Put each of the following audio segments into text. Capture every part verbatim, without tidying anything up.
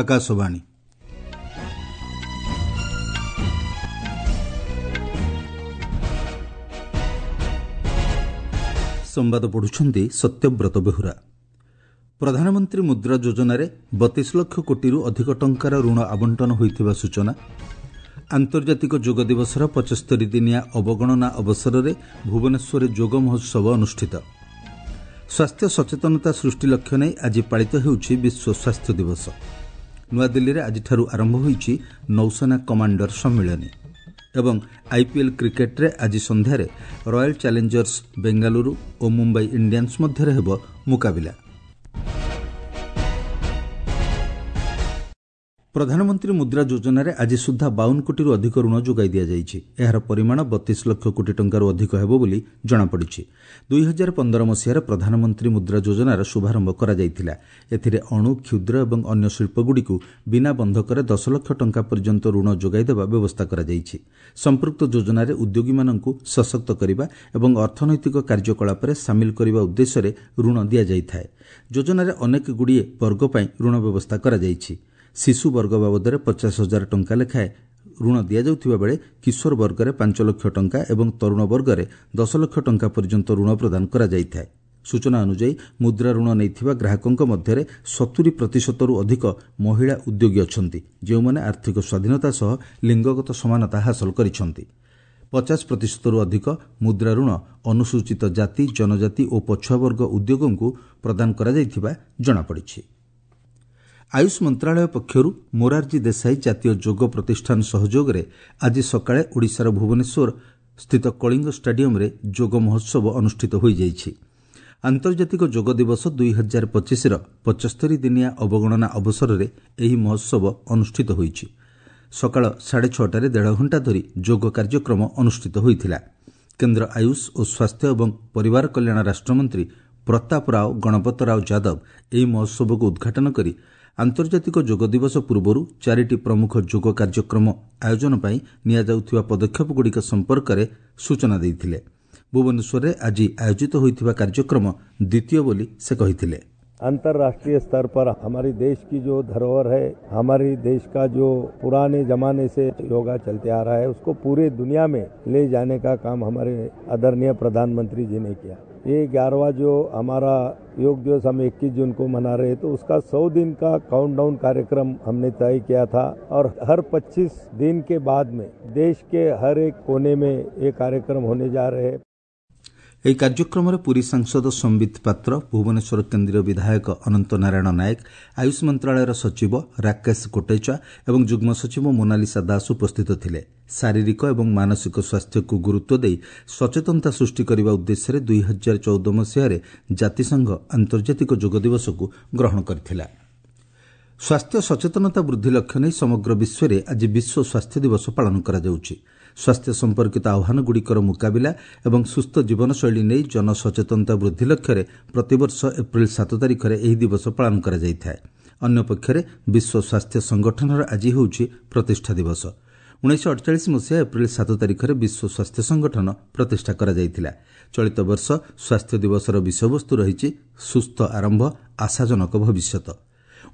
ଆକାଶବାଣୀ। ସମ୍ବାଦ ପଢ଼ୁଛନ୍ତି ସତ୍ୟବ୍ରତ ବେହୁରା। ପ୍ରଧାନମନ୍ତ୍ରୀ ମୁଦ୍ରା ଯୋଜନାରେ ବତିଶ ଲକ୍ଷ କୋଟିରୁ ଅଧିକ ଟଙ୍କାର ଋଣ ଆବଣ୍ଟନ ହୋଇଥିବା ସୂଚନା। ଆନ୍ତର୍ଜାତିକ ଯୋଗ ଦିବସର ପଞ୍ଚସ୍ତରୀ ଦିନିଆ ଅବଗଣନା ଅବସରରେ ଭୁବନେଶ୍ୱରରେ ଯୋଗ ମହୋତ୍ସବ ଅନୁଷ୍ଠିତ। ସ୍ୱାସ୍ଥ୍ୟ ସଚେତନତା ସୃଷ୍ଟି ଲକ୍ଷ୍ୟ ନେଇ ଆଜି ପାଳିତ ହେଉଛି ବିଶ୍ୱ ସ୍ୱାସ୍ଥ୍ୟ ଦିବସ। ନୂଆଦିଲ୍ଲୀରେ ଆଜିଠାରୁ ଆରମ୍ଭ ହୋଇଛି ନୌସେନା କମାଣ୍ଡର ସମ୍ମିଳନୀ ଏବଂ ଆଇପିଏଲ୍ କ୍ରିକେଟ୍ରେ ଆଜି ସନ୍ଧ୍ୟାରେ ରୟାଲ୍ ଚ୍ୟାଲେଞ୍ଜର୍ସ ବେଙ୍ଗାଲୁରୁ ଓ ମୁମ୍ବାଇ ଇଣ୍ଡିଆନ୍ସ ମଧ୍ୟରେ ହେବ ମୁକାବିଲା। ପ୍ରଧାନମନ୍ତ୍ରୀ ମୁଦ୍ରା ଯୋଜନାରେ ଆଜି ସୁଦ୍ଧା ବାଉନ କୋଟିରୁ ଅଧିକ ଋଣ ଯୋଗାଇ ଦିଆଯାଇଛି। ଏହାର ପରିମାଣ ବତିଶ ଲକ୍ଷ କୋଟି ଟଙ୍କାରୁ ଅଧିକ ହେବ ବୋଲି ଜଣାପଡ଼ିଛି। ଦୁଇ ହଜାର ପନ୍ଦର ମସିହାରେ ପ୍ରଧାନମନ୍ତ୍ରୀ ମୁଦ୍ରା ଯୋଜନାର ଶୁଭାରମ୍ଭ କରାଯାଇଥିଲା। ଏଥିରେ ଅଣୁ, କ୍ଷୁଦ୍ର ଏବଂ ଅନ୍ୟ ଶିଳ୍ପଗୁଡ଼ିକୁ ବିନା ବନ୍ଧକରେ ଦଶ ଲକ୍ଷ ଟଙ୍କା ପର୍ଯ୍ୟନ୍ତ ଋଣ ଯୋଗାଇଦେବା ବ୍ୟବସ୍ଥା କରାଯାଇଛି। ସମ୍ପୃକ୍ତ ଯୋଜନାରେ ଉଦ୍ୟୋଗୀମାନଙ୍କୁ ସଶକ୍ତ କରିବା ଏବଂ ଅର୍ଥନୈତିକ କାର୍ଯ୍ୟକଳାପରେ ସାମିଲ କରିବା ଉଦ୍ଦେଶ୍ୟରେ ଋଣ ଦିଆଯାଇଥାଏ। ଯୋଜନାରେ ଅନେକଗୁଡ଼ିଏ ବର୍ଗ ପାଇଁ ଋଣ ବ୍ୟବସ୍ଥା କରାଯାଇଛି। ଶିଶୁ ବର୍ଗ ବାବଦରେ ପଚାଶ ହଜାର ଟଙ୍କା ଲେଖାଏଁ ଋଣ ଦିଆଯାଉଥିବା ବେଳେ କିଶୋର ବର୍ଗରେ ପାଞ୍ଚ ଲକ୍ଷ ଟଙ୍କା ଏବଂ ତରୁଣ ବର୍ଗରେ ଦଶ ଲକ୍ଷ ଟଙ୍କା ପର୍ଯ୍ୟନ୍ତ ଋଣ ପ୍ରଦାନ କରାଯାଇଥାଏ। ସୂଚନା ଅନୁଯାୟୀ ମୁଦ୍ରା ଋଣ ନେଇଥିବା ଗ୍ରାହକଙ୍କ ମଧ୍ୟରେ ସତୁରି ପ୍ରତିଶତରୁ ଅଧିକ ମହିଳା ଉଦ୍ୟୋଗୀ ଅଛନ୍ତି, ଯେଉଁମାନେ ଆର୍ଥିକ ସ୍ୱାଧୀନତା ସହ ଲିଙ୍ଗଗତ ସମାନତା ହାସଲ କରିଛନ୍ତି। ପଚାଶ ପ୍ରତିଶତରୁ ଅଧିକ ମୁଦ୍ରା ଋଣ ଅନୁସୂଚିତ ଜାତି, ଜନଜାତି ଓ ପଛୁଆବର୍ଗ ଉଦ୍ୟୋଗଙ୍କୁ ପ୍ରଦାନ କରାଯାଇଥିବା ଜଣାପଡ଼ିଛି। ଆୟୁଷ ମନ୍ତ୍ରଣାଳୟ ପକ୍ଷରୁ ମୋରାରଜୀ ଦେଶାଇ ଜାତୀୟ ଯୋଗ ପ୍ରତିଷ୍ଠାନ ସହଯୋଗରେ ଆଜି ସକାଳେ ଓଡ଼ିଶାର ଭୁବନେଶ୍ୱର ସ୍ଥିତ କଳିଙ୍ଗ ଷ୍ଟାଡିୟମ୍ରେ ଯୋଗ ମହୋତ୍ସବ ଅନୁଷ୍ଠିତ ହୋଇଯାଇଛି। ଆନ୍ତର୍ଜାତିକ ଯୋଗ ଦିବସ ଦୁଇ ହଜାର ପଚିଶର ପଞ୍ଚସ୍ତରୀ ଦିନିଆ ଅବଗଣନା ଅବସରରେ ଏହି ମହୋତ୍ସବ ଅନୁଷ୍ଠିତ ହୋଇଛି। ସକାଳ ସାଢ଼େ ଛଅଟାରେ ଦେଢ଼ ଘଣ୍ଟା ଧରି ଯୋଗ କାର୍ଯ୍ୟକ୍ରମ ଅନୁଷ୍ଠିତ ହୋଇଥିଲା। କେନ୍ଦ୍ର ଆୟୁଷ ଓ ସ୍ୱାସ୍ଥ୍ୟ ଏବଂ ପରିବାର କଲ୍ୟାଣ ରାଷ୍ଟ୍ରମନ୍ତ୍ରୀ ପ୍ରତାପ ରାଓ ଗଣପତ ରାଓ ଯାଦବ ଏହି ମହୋତ୍ସବକୁ ଉଦ୍ଘାଟନ କରି ଆନ୍ତର୍ଜାତିକ ଯୋଗ ଦିବସ ପୂର୍ବରୁ ଚାରିଟି ପ୍ରମୁଖ ଯୋଗ କାର୍ଯ୍ୟକ୍ରମ ଆୟୋଜନ ପାଇଁ ନିଆଯାଉଥିବା ପଦକ୍ଷେପଗୁଡ଼ିକ ସମ୍ପର୍କରେ ସୂଚନା ଦେଇଥିଲେ। ଭୁବନେଶ୍ୱରରେ ଆଜି ଆୟୋଜିତ ହୋଇଥିବା କାର୍ଯ୍ୟକ୍ରମ ଦ୍ୱିତୀୟ ବୋଲି ସେ କହିଥିଲେ। अंतर्राष्ट्रीय स्तर पर हमारे देश की जो धरोहर है, हमारे देश का जो पुराने जमाने से योगा चलते आ रहा है, उसको पूरे दुनिया में ले जाने का काम हमारे आदरणीय प्रधानमंत्री जी ने किया। ये ग्यारहवा जो हमारा योग दिवस हम इक्कीस जून को मना रहे हैं, तो उसका सौ दिन का काउंटडाउन कार्यक्रम हमने तय किया था और हर पच्चीस दिन के बाद में देश के हर एक कोने में ये कार्यक्रम होने जा रहे हैं। ଏହି କାର୍ଯ୍ୟକ୍ରମରେ ପୁରୀ ସାଂସଦ ସମ୍ବିତ ପାତ୍ର, ଭୁବନେଶ୍ୱର କେନ୍ଦ୍ରୀୟ ବିଧାୟକ ଅନନ୍ତ ନାରାୟଣ ନାୟକ, ଆୟୁଷ ମନ୍ତ୍ରଣାଳୟର ସଚିବ ରାକେଶ କୋଟେଚା ଏବଂ ଯୁଗ୍ମ ସଚିବ ମୋନାଲିସା ଦାସ ଉପସ୍ଥିତ ଥିଲେ। ଶାରୀରିକ ଏବଂ ମାନସିକ ସ୍ୱାସ୍ଥ୍ୟକୁ ଗୁରୁତ୍ୱ ଦେଇ ସଚେତନତା ସୃଷ୍ଟି କରିବା ଉଦ୍ଦେଶ୍ୟରେ ଦୁଇ ହଜାର ଚଉଦ ମସିହାରେ ଜାତିସଂଘ ଆନ୍ତର୍ଜାତିକ ଯୋଗ ଦିବସକୁ ଗ୍ରହଣ କରିଥିଲା। ସ୍ୱାସ୍ଥ୍ୟ ସଚେତନତା ବୃଦ୍ଧି ଲକ୍ଷ୍ୟ ନେଇ ସମଗ୍ର ବିଶ୍ୱରେ ଆଜି ବିଶ୍ୱ ସ୍ୱାସ୍ଥ୍ୟ ଦିବସ ପାଳନ କରାଯାଉଛି। ସ୍ୱାସ୍ଥ୍ୟ ସମ୍ପର୍କିତ ଆହ୍ୱାନଗୁଡ଼ିକର ମୁକାବିଲା ଏବଂ ସୁସ୍ଥ ଜୀବନଶୈଳୀ ନେଇ ଜନସଚେତନତା ବୃଦ୍ଧି ଲକ୍ଷ୍ୟରେ ପ୍ରତିବର୍ଷ ଏପ୍ରିଲ ସାତ ତାରିଖରେ ଏହି ଦିବସ ପାଳନ କରାଯାଇଥାଏ। ଅନ୍ୟପକ୍ଷରେ ବିଶ୍ୱ ସ୍ୱାସ୍ଥ୍ୟ ସଂଗଠନର ଆଜି ହେଉଛି ପ୍ରତିଷ୍ଠା ଦିବସ। ଉଣେଇଶହ ଅଠଚାଳିଶ ମସିହା ଏପ୍ରିଲ ସାତ ତାରିଖରେ ବିଶ୍ୱ ସ୍ୱାସ୍ଥ୍ୟ ସଂଗଠନ ପ୍ରତିଷ୍ଠା କରାଯାଇଥିଲା। ଚଳିତ ବର୍ଷ ସ୍ୱାସ୍ଥ୍ୟ ଦିବସର ବିଷୟବସ୍ତୁ ରହିଛି ସୁସ୍ଥ ଆରମ୍ଭ, ଆଶାଜନକ ଭବିଷ୍ୟତ।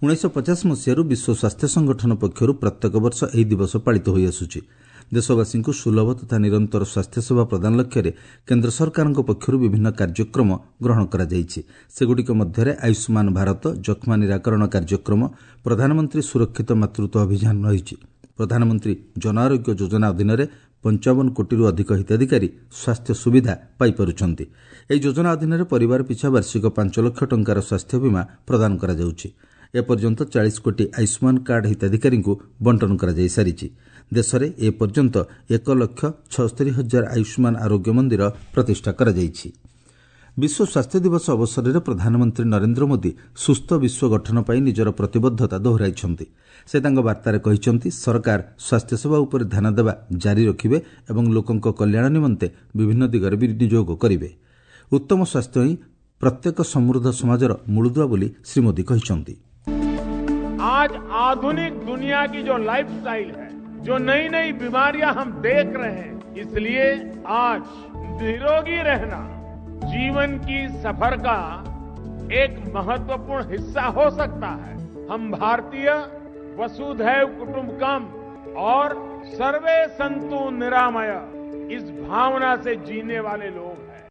ଉଣେଇଶହ ପଚାଶ ମସିହାରୁ ବିଶ୍ୱ ସ୍ୱାସ୍ଥ୍ୟ ସଂଗଠନ ପକ୍ଷରୁ ପ୍ରତ୍ୟେକ ବର୍ଷ ଏହି ଦିବସ ପାଳିତ ହୋଇଆସୁଛି। ଦେଶବାସୀଙ୍କୁ ସୁଲଭ ତଥା ନିରନ୍ତର ସ୍ୱାସ୍ଥ୍ୟସେବା ପ୍ରଦାନ ଲକ୍ଷ୍ୟରେ କେନ୍ଦ୍ର ସରକାରଙ୍କ ପକ୍ଷରୁ ବିଭିନ୍ନ କାର୍ଯ୍ୟକ୍ରମ ଗ୍ରହଣ କରାଯାଇଛି। ସେଗୁଡ଼ିକ ମଧ୍ୟରେ ଆୟୁଷ୍ମାନ ଭାରତ, ଯକ୍ଷ୍ମା ନିରାକରଣ କାର୍ଯ୍ୟକ୍ରମ, ପ୍ରଧାନମନ୍ତ୍ରୀ ସୁରକ୍ଷିତ ମାତୃତ୍ୱ ଅଭିଯାନ ରହିଛି। ପ୍ରଧାନମନ୍ତ୍ରୀ ଜନଆରୋଗ୍ୟ ଯୋଜନା ଅଧୀନରେ ପଞ୍ଚାବନ କୋଟିରୁ ଅଧିକ ହିତାଧିକାରୀ ସ୍ୱାସ୍ଥ୍ୟ ସୁବିଧା ପାଇପାରୁଛନ୍ତି। ଏହି ଯୋଜନା ଅଧୀନରେ ପରିବାର ପିଛା ବାର୍ଷିକ ପାଞ୍ଚ ଲକ୍ଷ ଟଙ୍କାର ସ୍ୱାସ୍ଥ୍ୟ ବୀମା ପ୍ରଦାନ କରାଯାଉଛି। ଏପର୍ଯ୍ୟନ୍ତ ଚାଳିଶ କୋଟି ଆୟୁଷ୍ମାନ କାର୍ଡ ହିତାଧିକାରୀଙ୍କୁ ବଣ୍ଟନ କରାଯାଇସାରିଛି। ଦେଶରେ ଏପର୍ଯ୍ୟନ୍ତ ଏକ ଲକ୍ଷ ଛଅସ୍ତରୀ ହଜାର ଆୟୁଷ୍ମାନ ଆରୋଗ୍ୟ ମନ୍ଦିର ପ୍ରତିଷ୍ଠା କରାଯାଇଛି। ବିଶ୍ୱ ସ୍ୱାସ୍ଥ୍ୟ ଦିବସ ଅବସରରେ ପ୍ରଧାନମନ୍ତ୍ରୀ ନରେନ୍ଦ୍ର ମୋଦି ସୁସ୍ଥ ବିଶ୍ୱ ଗଠନ ପାଇଁ ନିଜର ପ୍ରତିବଦ୍ଧତା ଦୋହରାଇଛନ୍ତି। ସେ ତାଙ୍କ ବାର୍ତ୍ତାରେ କହିଛନ୍ତି, ସରକାର ସ୍ୱାସ୍ଥ୍ୟସେବା ଉପରେ ଧ୍ୟାନ ଦେବା ଜାରି ରଖିବେ ଏବଂ ଲୋକଙ୍କ କଲ୍ୟାଣ ନିମନ୍ତେ ବିଭିନ୍ନ ଦିଗରେ ବିନିଯୋଗ କରିବେ। ଉତ୍ତମ ସ୍ୱାସ୍ଥ୍ୟ ହିଁ ପ୍ରତ୍ୟେକ ସମୃଦ୍ଧ ସମାଜର ମୂଳଦୁଆ ବୋଲି ଶ୍ରୀ ମୋଦି କହିଛନ୍ତି। आज आधुनिक दुनिया की जो लाइफस्टाइल है, जो नई नई बीमारियां हम देख रहे हैं, इसलिए आज निरोगी रहना जीवन की सफर का एक महत्वपूर्ण हिस्सा हो सकता है। हम भारतीय वसुधैव कुटुंबकम और सर्वे संतु निरामय इस भावना से जीने वाले लोग हैं।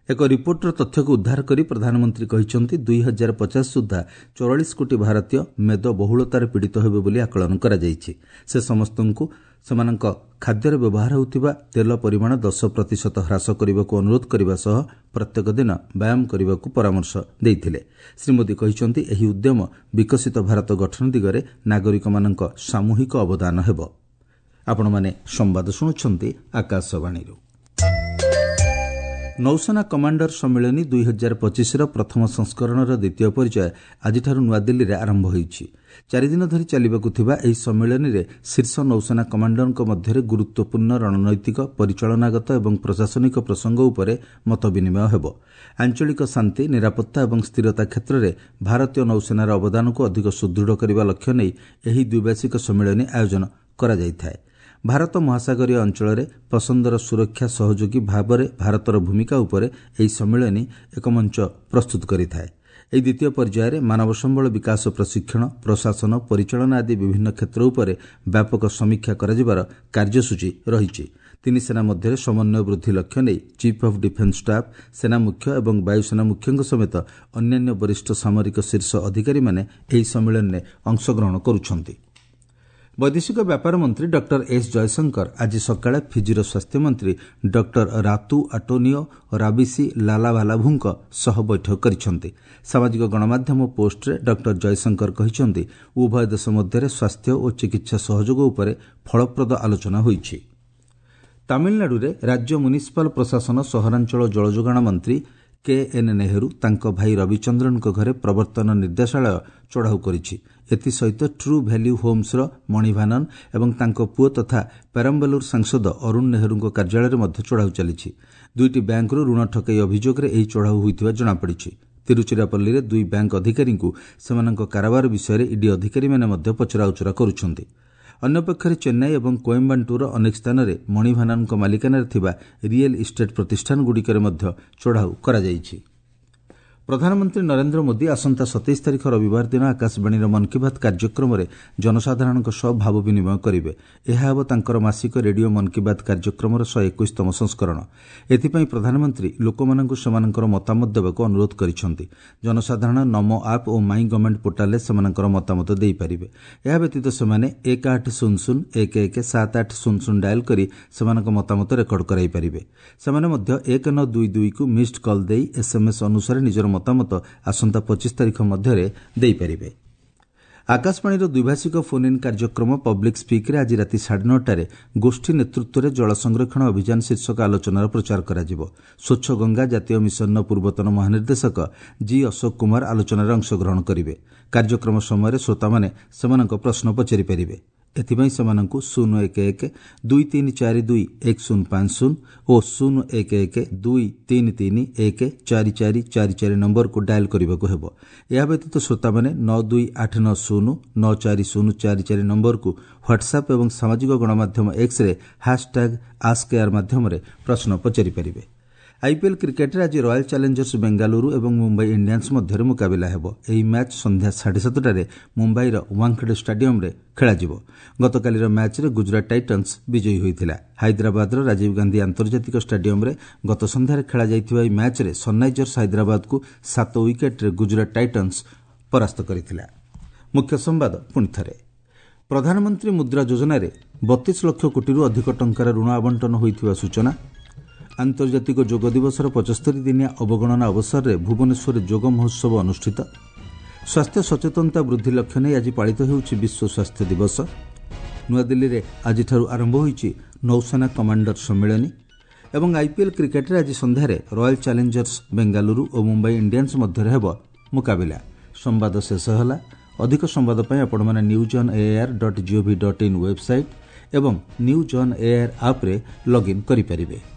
ଏକ ରିପୋର୍ଟର ତଥ୍ୟକୁ ଉଦ୍ଧାର କରି ପ୍ରଧାନମନ୍ତ୍ରୀ କହିଛନ୍ତି, ଦୁଇ ହଜାର ପଚାଶ ସୁଦ୍ଧା ଚଉରାଳିଶ କୋଟି ଭାରତୀୟ ମେଦ ବହୁଳତାରେ ପୀଡ଼ିତ ହେବେ ବୋଲି ଆକଳନ କରାଯାଇଛି। ସେ ସମସ୍ତଙ୍କୁ ସେମାନଙ୍କ ଖାଦ୍ୟରେ ବ୍ୟବହାର ହେଉଥିବା ତେଲ ପରିମାଣ ଦଶ ପ୍ରତିଶତ ହ୍ରାସ କରିବାକୁ ଅନୁରୋଧ କରିବା ସହ ପ୍ରତ୍ୟେକ ଦିନ ବ୍ୟାୟାମ କରିବାକୁ ପରାମର୍ଶ ଦେଇଥିଲେ। ଶ୍ରୀ ମୋଦି କହିଛନ୍ତି, ଏହି ଉଦ୍ୟମ ବିକଶିତ ଭାରତ ଗଠନ ଦିଗରେ ନାଗରିକମାନଙ୍କ ସାମୂହିକ ଅବଦାନ ହେବ। ଆପଣମାନେ ସମ୍ବାଦ ଶୁଣୁଛନ୍ତି ଆକାଶବାଣୀରୁ। ନୌସେନା କମାଣ୍ଡର ସମ୍ମିଳନୀ ଦୁଇ ହଜାର ପଚିଶର ପ୍ରଥମ ସଂସ୍କରଣର ଦ୍ୱିତୀୟ ପର୍ଯ୍ୟାୟ ଆଜିଠାରୁ ନୂଆଦିଲ୍ଲୀରେ ଆରମ୍ଭ ହୋଇଛି। ଚାରିଦିନ ଧରି ଚାଲିବାକୁ ଥିବା ଏହି ସମ୍ମିଳନୀରେ ଶୀର୍ଷ ନୌସେନା କମାଣ୍ଡରଙ୍କ ମଧ୍ୟରେ ଗୁରୁତ୍ୱପୂର୍ଣ୍ଣ ରଣନୈତିକ, ପରିଚାଳନାଗତ ଏବଂ ପ୍ରଶାସନିକ ପ୍ରସଙ୍ଗ ଉପରେ ମତ ବିନିମୟ ହେବ। ଆଞ୍ଚଳିକ ଶାନ୍ତି, ନିରାପତ୍ତା ଏବଂ ସ୍ଥିରତା କ୍ଷେତ୍ରରେ ଭାରତୀୟ ନୌସେନାର ଅବଦାନକୁ ଅଧିକ ସୁଦୃଢ଼ କରିବା ଲକ୍ଷ୍ୟ ନେଇ ଏହି ଦ୍ୱିବାର୍ଷିକ ସମ୍ମିଳନୀ ଆୟୋଜନ କରାଯାଇଥାଏ। ଭାରତ ମହାସାଗରୀୟ ଅଞ୍ଚଳରେ ପସନ୍ଦର ସୁରକ୍ଷା ସହଯୋଗୀ ଭାବରେ ଭାରତର ଭୂମିକା ଉପରେ ଏହି ସମ୍ମିଳନୀ ଏକ ମଞ୍ଚ ପ୍ରସ୍ତୁତ କରିଥାଏ। ଏହି ଦ୍ୱିତୀୟ ପର୍ଯ୍ୟାୟରେ ମାନବ ସମ୍ବଳ ବିକାଶ, ପ୍ରଶିକ୍ଷଣ, ପ୍ରଶାସନ, ପରିଚାଳନା ଆଦି ବିଭିନ୍ନ କ୍ଷେତ୍ର ଉପରେ ବ୍ୟାପକ ସମୀକ୍ଷା କରାଯିବାର କାର୍ଯ୍ୟସୂଚୀ ରହିଛି। ତିନି ସେନା ମଧ୍ୟରେ ସମନ୍ୱୟ ବୃଦ୍ଧି ଲକ୍ଷ୍ୟ ନେଇ ଚିଫ୍ ଅଫ୍ ଡିଫେନ୍ସ ଷ୍ଟାଫ୍, ସେନା ମୁଖ୍ୟ ଏବଂ ବାୟୁସେନା ମୁଖ୍ୟଙ୍କ ସମେତ ଅନ୍ୟାନ୍ୟ ବରିଷ୍ଠ ସାମରିକ ଶୀର୍ଷ ଅଧିକାରୀମାନେ ଏହି ସମ୍ମିଳନୀରେ ଅଂଶଗ୍ରହଣ କରୁଛନ୍ତି। ବୈଦେଶିକ ବ୍ୟାପାର ମନ୍ତ୍ରୀ ଡକ୍ଟର ଏସ୍ ଜୟଶଙ୍କର ଆଜି ସକାଳେ ଫିଜିର ସ୍ୱାସ୍ଥ୍ୟମନ୍ତ୍ରୀ ଡକ୍ଟର ରାତୁ ଆଟୋନିଓ ରାବିସି ଲାଲାଭାଲାଭୁଙ୍କ ସହ ବୈଠକ କରିଛନ୍ତି। ସାମାଜିକ ଗଣମାଧ୍ୟମ ପୋଷ୍ଟରେ ଡକ୍ଟର ଜୟଶଙ୍କର କହିଛନ୍ତି, ଉଭୟ ଦେଶ ମଧ୍ୟରେ ସ୍ୱାସ୍ଥ୍ୟ ଓ ଚିକିତ୍ସା ସହଯୋଗ ଉପରେ ଫଳପ୍ରଦ ଆଲୋଚନା ହୋଇଛି। ତାମିଲନାଡୁରେ ରାଜ୍ୟ ମ୍ୟୁନିସିପାଲ ପ୍ରଶାସନ, ସହରାଞ୍ଚଳ ଜଳଯୋଗାଣ ମନ୍ତ୍ରୀ କେ ଏନ୍ ନେହେରୁ ତାଙ୍କ ଭାଇ ରବିଚନ୍ଦ୍ରନଙ୍କ ଘରେ ପ୍ରବର୍ତ୍ତନ ନିର୍ଦ୍ଦେଶାଳୟ ଚଢ଼ାଉ କରିଛି। ଏଥିସହିତ ଟ୍ରୁ ଭ୍ୟାଲ୍ୟୁ ହୋମ୍ସର ମଣିଭାନନ ଏବଂ ତାଙ୍କ ପୁଅ ତଥା ପେରମ୍ବାଲୁର ସାଂସଦ ଅରୁଣ ନେହେରୁଙ୍କ କାର୍ଯ୍ୟାଳୟରେ ମଧ୍ୟ ଚଢ଼ାଉ ଚାଲିଛି। ଦୁଇଟି ବ୍ୟାଙ୍କରୁ ଋଣ ଠକେଇ ଅଭିଯୋଗରେ ଏହି ଚଢ଼ାଉ ହୋଇଥିବା ଜଣାପଡ଼ିଛି। ତିରୁଚିରାପଲ୍ଲୀରେ ଦୁଇ ବ୍ୟାଙ୍କ ଅଧିକାରୀଙ୍କୁ ସେମାନଙ୍କ କାରବାର ବିଷୟରେ ଇଡି ଅଧିକାରୀମାନେ ମଧ୍ୟ ପଚରାଉଚରା କରୁଛନ୍ତି। ଅନ୍ୟପକ୍ଷରେ ଚେନ୍ନାଇ ଏବଂ କୋଏମ୍ବାଟୁରର ଅନେକ ସ୍ଥାନରେ ମଣିଭାନନଙ୍କ ମାଲିକାନାରେ ଥିବା ରିଏଲ୍ ଇଷ୍ଟେଟ୍ ପ୍ରତିଷ୍ଠାନଗୁଡ଼ିକରେ ମଧ୍ୟ ଚଢ଼ାଉ କରାଯାଇଛି। ପ୍ରଧାନମନ୍ତ୍ରୀ ନରେନ୍ଦ୍ର ମୋଦି ଆସନ୍ତା ସତେଇଶ ତାରିଖ ରବିବାର ଦିନ ଆକାଶବାଣୀର ମନ୍ କି ବାତ୍ କାର୍ଯ୍ୟକ୍ରମରେ ଜନସାଧାରଣଙ୍କ ସହ ଭାବ ବିନିମୟ କରିବେ। ଏହା ହେବ ତାଙ୍କର ମାସିକ ରେଡିଓ ମନ୍ କି ବାତ୍ କାର୍ଯ୍ୟକ୍ରମର ଶହେ ଏକୋଇଶତମ ସଂସ୍କରଣ। ଏଥିପାଇଁ ପ୍ରଧାନମନ୍ତ୍ରୀ ଲୋକମାନଙ୍କୁ ସେମାନଙ୍କର ମତାମତ ଦେବାକୁ ଅନୁରୋଧ କରିଛନ୍ତି। ଜନସାଧାରଣ ନମୋ ଆପ୍ ଓ ମାଇ ଗଭର୍ଣ୍ଣମେଣ୍ଟ ପୋର୍ଟାଲରେ ସେମାନଙ୍କର ମତାମତ ଦେଇପାରିବେ। ଏହା ବ୍ୟତୀତ ସେମାନେ ଏକ ଆଠ ଶୂନ ଶୂନ ଏକ ଏକ ସାତ ଆଠ ଶୂନ ଶୂନ ଡାଏଲ୍ କରି ସେମାନଙ୍କ ମତାମତ ରେକର୍ଡ କରାଇପାରିବେ। ସେମାନେ ମଧ୍ୟ ଏକ ନଅ ଦୁଇ ଦୁଇକୁ ମିସ୍ଡ କଲ୍ ଦେଇ ଏସ୍ଏମ୍ଏସ୍ ଅନୁସାରେ ନିଜର ମତାମତ ଆସନ୍ତା ପଚିଶ ତାରିଖ ମଧ୍ୟରେ ଦେଇପାରିବେ। ଆକାଶବାଣୀର ଦ୍ୱିଭାଷିକ ଫୋନ୍ ଇନ୍ କାର୍ଯ୍ୟକ୍ରମ ପବ୍ଲିକ୍ ସ୍ପିକ୍ରେ ଆଜି ରାତି ସାଢ଼େ ନଅଟାରେ ଗୋଷ୍ଠୀ ନେତୃତ୍ୱରେ ଜଳ ସଂରକ୍ଷଣ ଅଭିଯାନ ଶୀର୍ଷକ ଆଲୋଚନାର ପ୍ରଚାର କରାଯିବ। ସ୍ୱଚ୍ଛ ଗଙ୍ଗା ଜାତୀୟ ମିଶନର ପୂର୍ବତନ ମହାନିର୍ଦ୍ଦେଶକ ଜି ଅଶୋକ କୁମାର ଆଲୋଚନାରେ ଅଂଶଗ୍ରହଣ କରିବେ। କାର୍ଯ୍ୟକ୍ରମ ସମୟରେ ଶ୍ରୋତାମାନେ ସେମାନଙ୍କ ପ୍ରଶ୍ନ ପଚାରିପାରିବେ। ଏଥିପାଇଁ ସେମାନଙ୍କୁ ଶୂନ ଏକ ଏକ ଦୁଇ ତିନି ଚାରି ଦୁଇ ଏକ ଶୂନ ପାଞ୍ଚ ଶୂନ ଓ ଶୂନ ଏକ ଏକ ଦୁଇ ତିନି ତିନି ଏକ ଚାରି ଚାରି ଚାରି ଚାରି ନମ୍ବରକୁ ଡାଏଲ୍ କରିବାକୁ ହେବ। ଏହା ବ୍ୟତୀତ ଶ୍ରୋତାମାନେ ନଅ ଦୁଇ ଆଠ ନଅ ଶୂନ ନଅ ଚାରି ଶୂନ ଚାରି ଚାରି ନମ୍ବରକୁ ହ୍ୱାଟ୍ସଆପ୍ ଏବଂ ସାମାଜିକ ଗଣମାଧ୍ୟମ ଏକ୍ସରେ ହ୍ୟାସ୍ଟ୍ୟାଗ୍ ଆସ୍କ ଏୟାର ମାଧ୍ୟମରେ ପ୍ରଶ୍ନ ପଚାରିପାରିବେ। ଆଇପିଏଲ୍ କ୍ରିକେଟ୍ରେ ଆଜି ରୟାଲ୍ ଚ୍ୟାଲେଞ୍ଜର୍ସ ବେଙ୍ଗାଲୁରୁ ଏବଂ ମୁମ୍ବାଇ ଇଣ୍ଡିଆନ୍ସ ମଧ୍ୟରେ ମୁକାବିଲା ହେବ। ଏହି ମ୍ୟାଚ୍ ସନ୍ଧ୍ୟା ସାଢ଼େ ସାତଟାରେ ମୁମ୍ବାଇର ୱାଙ୍ଖଡେ ଷ୍ଟାଡିୟମ୍ରେ ଖେଳାଯିବ। ଗତକାଲିର ମ୍ୟାଚ୍ରେ ଗୁଜରାଟ ଟାଇଟନ୍ସ ବିଜୟୀ ହୋଇଥିଲା। ହାଇଦ୍ରାବାଦର ରାଜୀବ ଗାନ୍ଧୀ ଆନ୍ତର୍ଜାତିକ ଷ୍ଟାଡିୟମ୍ରେ ଗତ ସନ୍ଧ୍ୟାରେ ଖେଳାଯାଇଥିବା ଏହି ମ୍ୟାଚ୍ରେ ସନ୍ରାଇଜର୍ସ ହାଇଦ୍ରାବାଦକୁ ସାତ ୱିକେଟ୍ରେ ଗୁଜରାଟ ଟାଇଟନ୍ସ ପରାସ୍ତ କରିଥିଲା। ମୁଖ୍ୟ ସମ୍ବାଦ ପୁଣିଥରେ, ପ୍ରଧାନମନ୍ତ୍ରୀ ମୁଦ୍ରା ଯୋଜନାରେ ବତିଶ ଲକ୍ଷ କୋଟିରୁ ଅଧିକ ଟଙ୍କାର ଋଣ ଆବଣ୍ଟନ ହୋଇଥିବା ସୂଚନା। ଆନ୍ତର୍ଜାତିକ ଯୋଗ ଦିବସର ପଞ୍ଚସ୍ତରୀ ଦିନିଆ ଅବଗଣନା ଅବସରରେ ଭୁବନେଶ୍ୱରରେ ଯୋଗ ମହୋତ୍ସବ ଅନୁଷ୍ଠିତ। ସ୍ୱାସ୍ଥ୍ୟ ସଚେତନତା ବୃଦ୍ଧି ଲକ୍ଷ୍ୟ ନେଇ ଆଜି ପାଳିତ ହେଉଛି ବିଶ୍ୱ ସ୍ୱାସ୍ଥ୍ୟ ଦିବସ। ନୂଆଦିଲ୍ଲୀରେ ଆଜିଠାରୁ ଆରମ୍ଭ ହୋଇଛି ନୌସେନା କମାଣ୍ଡର ସମ୍ମିଳନୀ। ଏବଂ ଆଇପିଏଲ୍ କ୍ରିକେଟ୍ରେ ଆଜି ସନ୍ଧ୍ୟାରେ ରୟାଲ୍ ଚ୍ୟାଲେଞ୍ଜର୍ସ ବେଙ୍ଗାଲୁରୁ ଓ ମୁମ୍ବାଇ ଇଣ୍ଡିଆନ୍ସ ମଧ୍ୟରେ ହେବ ମୁକାବିଲା। ସମ୍ବାଦ ଶେଷ ହେଲା। ଅଧିକ ସମ୍ବାଦ ପାଇଁ ଆପଣମାନେ news on AIR dot gov dot in website ଏବଂ ନ୍ୟୁଜ୍ ଅନ୍ ଏଆଇଆର୍ ଆପ୍ରେ ଲଗ୍ଇନ୍ କରିପାରିବେ।